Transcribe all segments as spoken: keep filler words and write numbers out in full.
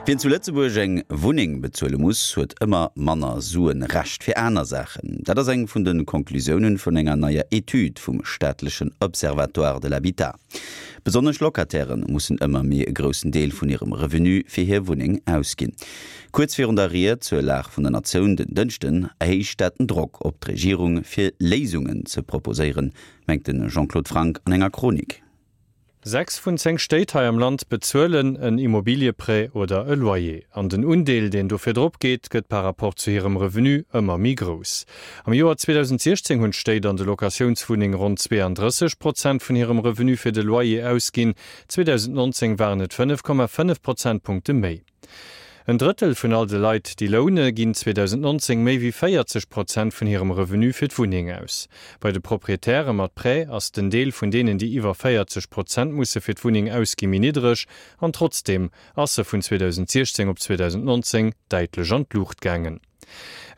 Wien zu Lëtzebuerg eng Wunneng bezuele muss, huet ëmmer manner Suen Rescht fir aner Saachen. Dat ass eng vun de Konklusiounen vun enger neier Etüd vum staatlechen Observatoire de l'habitat. Besonnesch Locataire mussen ëmmer méi e groussen Deel vun hirem Revenu fir hir Wunneng ausginn. Kuerz virun der Ried zur Lag vun der Natioun den Dënschden erhéicht dat den Drock op d'Regierung fir Léisungen ze proposéieren, mengt de Jean-Claude Franck an enger Chronik. Sechs vun zéng Stéit hei am Land bezuelen en Immobilieprêt oder e Loyer. An den Undeel, deen dofir drop geet, gëtt par rapport zu hirem Revenu ëmmer méi grouss. Am Joer zweedausendsiechzéng hunn d'Stéit an de Locatiounswunneng ronn zweeandrësseg Prozent vun hirem Revenu fir de Loyer ausginn, zweedausendnonzéng waren et fënnef Komma fënnef Prozentpunkte méi. En Drëttel vun all de Leit, déi loune, ginn zweedausendnonzéng méi wéi véierzeg Prozent vun hirem Revenu fir d'Wunneng aus. Bei de Proprietäre mat Prêt ass den Deel vun deenen, déi iwwer véierzeg Prozent musse fir d'Wunneng ausgi méi niddreg, an trotzdeem ass e vun zweedausendsiechzéng op zweedausendnonzéng däitlech an d'Luucht gaangen.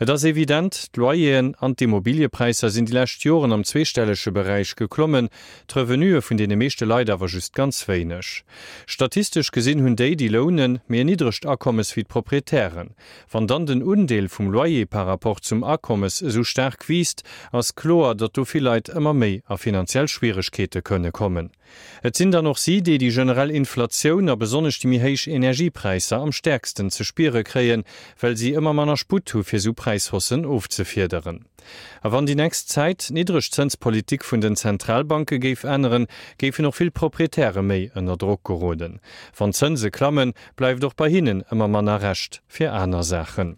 Et ass evident, d'Loyeren an d'Immobiliëpräisser sinn déi lescht Joren am zweestellege Beräich geklommen, d'Revenuë vun deene meeschte Leit awer just ganz wéineg. Statistesch gesinn hunn déi, déi lounen, méi en niddregt Akommes wéi d'Proprietären. Wann dann den Undeel vum Loyer par rapport zum Akommes esou staark wiisst, ass kloer, datt do vill Leit ëmmer méi a finanziell Schwieregkeete kënne kommen. Et sinn dann och si, déi déi generell Inflatioun a besonnesch déi méi héich Energiepräisser am stäerksten ze spiere kréien, well si ëmmer manner Sputt hu fir esou Präishaussen ofzefiederen. A wann déi nächst Zäit d'niddreg Zënspolitik vun den Zentralbanke géif änneren, géifen och vill Proprietäre méi ënner Drock geroden. Wann d'Zënse klammen, bleift och bei hinnen ëmmer manner Rescht fir aner Saachen.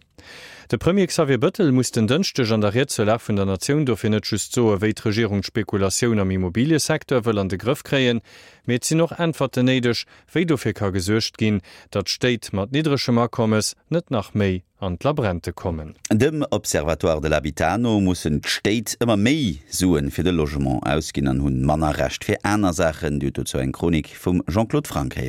De Premier Xavier Bëttel muss den Dënschdeg an der Ried zur Lag vun der Natioun dofir net just soen, wéi d'Regierung d'Spekulatioun am Immobiliësecteur wëll an de Grëff kréien, mee et sinn och Äntwerten néideg, wéi dofir ka gesuergt ginn, datt Stéit mat niddregem Akommes net nach méi an d'Labrente kommen. Dem Observatoire de l'habitat no mussen d'Stéit ëmmer méi Suen fir de Logement ausginn an hunn manner Rescht fir aner Saachen. Dir hutt dozou eng Chronik vum Jean-Claude Franck héieren.